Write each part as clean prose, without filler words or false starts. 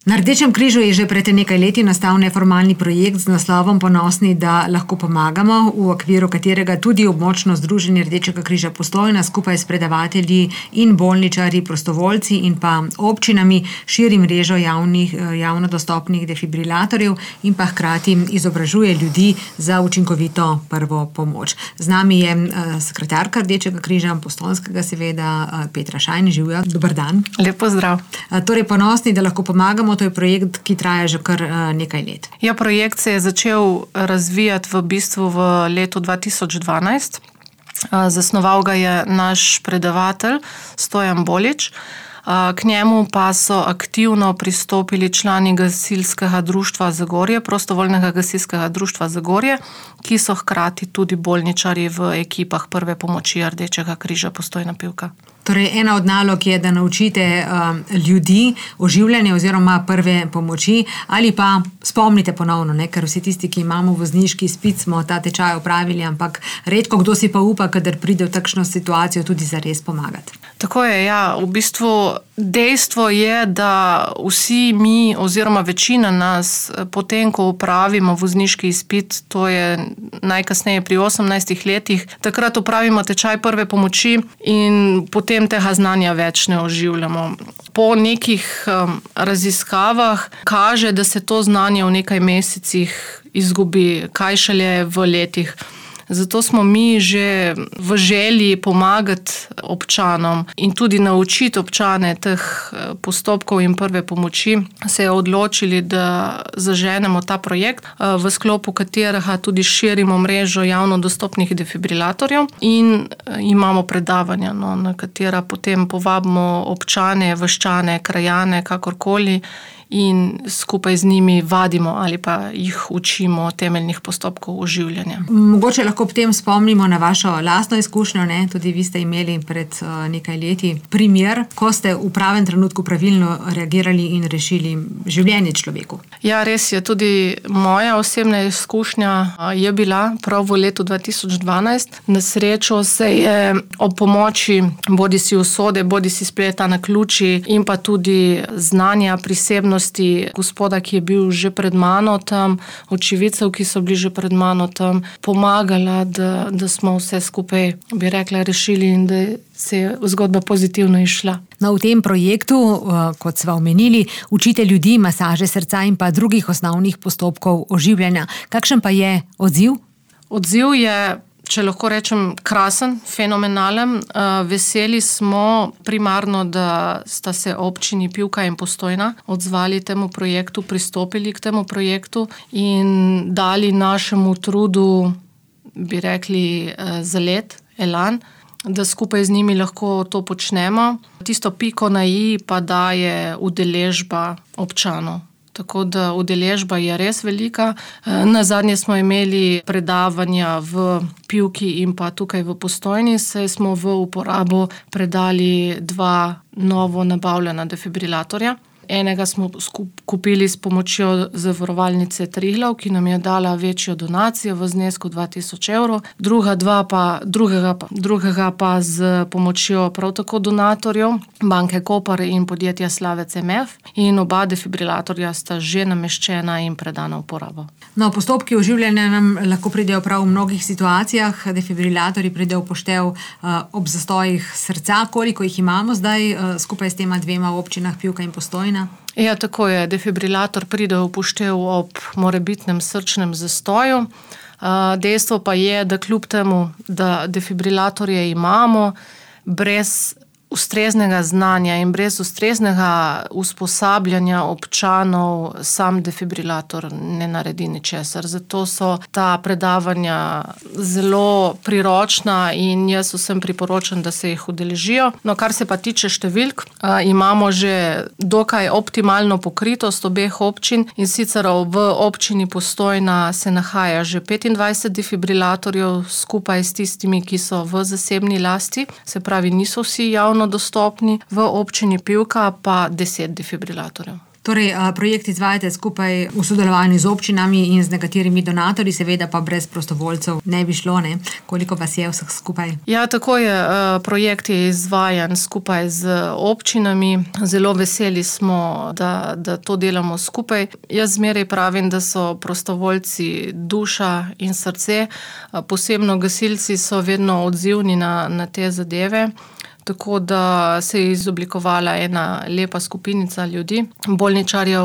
Na Rdečem križu je že pred nekaj leti nastal neformalni projekt z naslovom Ponosni, da lahko pomagamo, v okviru katerega tudi območno združenje Rdečega križa Postojna skupaj s predavatelji in bolničarji, prostovoljci in pa občinami širi mrežo javno dostopnih defibrilatorjev in pa hkrati izobražuje ljudi za učinkovito prvo pomoč. Z nami je sekretarka Rdečega križa Postojnskega, seveda, Petra Šajn. Živjo, dober dan. Lep pozdrav. Torej, Ponosni, da lahko pomagamo, to je projekt, ki traja že kar nekaj let. Ja, projekt se je začel razvijati v bistvu v letu 2012. Zasnoval ga je naš predavatelj Stojan Bolič. K njemu pa so aktivno pristopili člani gasilskega društva Zagorje, prostovoljnega gasilskega društva Zagorje, ki so hkrati tudi bolničarji v ekipah prve pomoči Rdečega križa Postojna Pivka. Torej, ena od nalog je, da naučite ljudi oživljanje oziroma prve pomoči ali pa spomnite ponovno, ker vsi tisti, ki imamo vozniški izpit, smo ta tečaj opravili, ampak redko kdo si pa upa, kadar pride v takšno situacijo, tudi zares pomagati. Tako je, ja. V bistvu dejstvo je, da vsi mi oziroma večina nas potem, ko opravimo vozniški izpit, to je najkasneje pri 18 letih, takrat opravimo tečaj prve pomoči in potem tega znanja več ne oživljamo. Po nekih raziskavah kaže, da se to znanje v nekaj mesecih izgubi, kaj šele v letih. Zato smo mi že v želji pomagati občanom in tudi naučiti občane teh postopkov in prve pomoči se odločili, da zaženemo ta projekt, v sklopu katerega tudi širimo mrežo javno dostopnih defibrilatorjev in imamo predavanja, na katera potem povabimo občane, vaščane, krajane, kakorkoli, in skupaj z njimi vadimo ali pa jih učimo temeljnih postopkov oživljanja. Mogoče lahko ob tem spomnimo na vašo lastno izkušnjo, tudi vi ste imeli pred nekaj leti primer, ko ste v pravem trenutku pravilno reagirali in rešili življenje človeku. Ja, res je, tudi moja osebna izkušnja je bila prav v letu 2012. Na srečo se je ob pomoči bodisi usode, bodisi spleta naključij in pa tudi znanja, prisebnosti gospoda, ki je bil že pred mano tam, očividcev, ki so bili že pred mano tam, pomagala, da smo vse skupaj, bi rekla, rešili in da se je zgodba pozitivno išla. No, v tem projektu, kot sva omenili, učite ljudi masaže srca in pa drugih osnovnih postopkov oživljanja. Kakšen pa je odziv? Odziv je, če lahko rečem, krasen, fenomenalen. Veseli smo primarno, da sta se občini Pivka in Postojna odzvali temu projektu, pristopili k temu projektu in dali našemu trudu, bi rekli, zalet, elan, da skupaj z njimi lahko to počnemo. Tisto piko na i pa daje udeležba občanov. Tako da udeležba je res velika. Nazadnje smo imeli predavanja v Pivki in pa tukaj v Postojni, saj smo v uporabo predali 2 novo nabavljena defibrilatorja. Enega smo kupili s pomočjo zavarovalnice Triglav, ki nam je dala večjo donacijo v znesku 2000 evrov. Drugega pa z pomočjo prav tako donatorjev, banke Koper in podjetja Slavec MF. In oba defibrilatorja sta že nameščena in predana v uporabo. No, postopki oživljanja nam lahko pridejo prav v mnogih situacijah. Defibrilatorji pridejo v poštev ob zastojih srca. Koliko jih imamo zdaj skupaj s tema 2 občinah Pivka in Postojna? Ja, tako je. Defibrilator pride v poštev ob morebitnem srčnem zastoju. Dejstvo pa je, da kljub temu, da defibrilatorje imamo, brez ustreznega znanja in brez ustreznega usposabljanja občanov sam defibrilator ne naredi ničesar. Zato so ta predavanja zelo priročna in jaz vsem priporočam, da se jih udeležijo. No, kar se pa tiče številk, imamo že dokaj optimalno pokritost obeh občin in sicer v občini Postojna se nahaja že 25 defibrilatorjev skupaj s tistimi, ki so v zasebni lasti, se pravi, niso vsi javno dostopni, v občini Pivka pa 10 defibrilatorjev. Torej, projekt izvajate skupaj v sodelovanju z občinami in z nekaterimi donatorji, seveda pa brez prostovoljcev ne bi šlo, ne? Koliko vas je vseh skupaj? Ja, tako je. Projekt je izvajan skupaj z občinami. Zelo veseli smo, da to delamo skupaj. Jaz zmeraj pravim, da so prostovoljci duša in srce. Posebno gasilci so vedno odzivni na te zadeve. Tako da se je izoblikovala ena lepa skupinica ljudi. Bolničarjev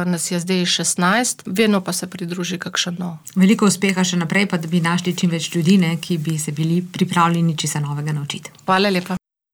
nas je zdaj 16, vedno pa se pridruži kakšen nov. Veliko uspeha še naprej, pa da bi našli čim več ljudi, ki bi se bili pripravljeni česa novega naučiti. Hvala lepa.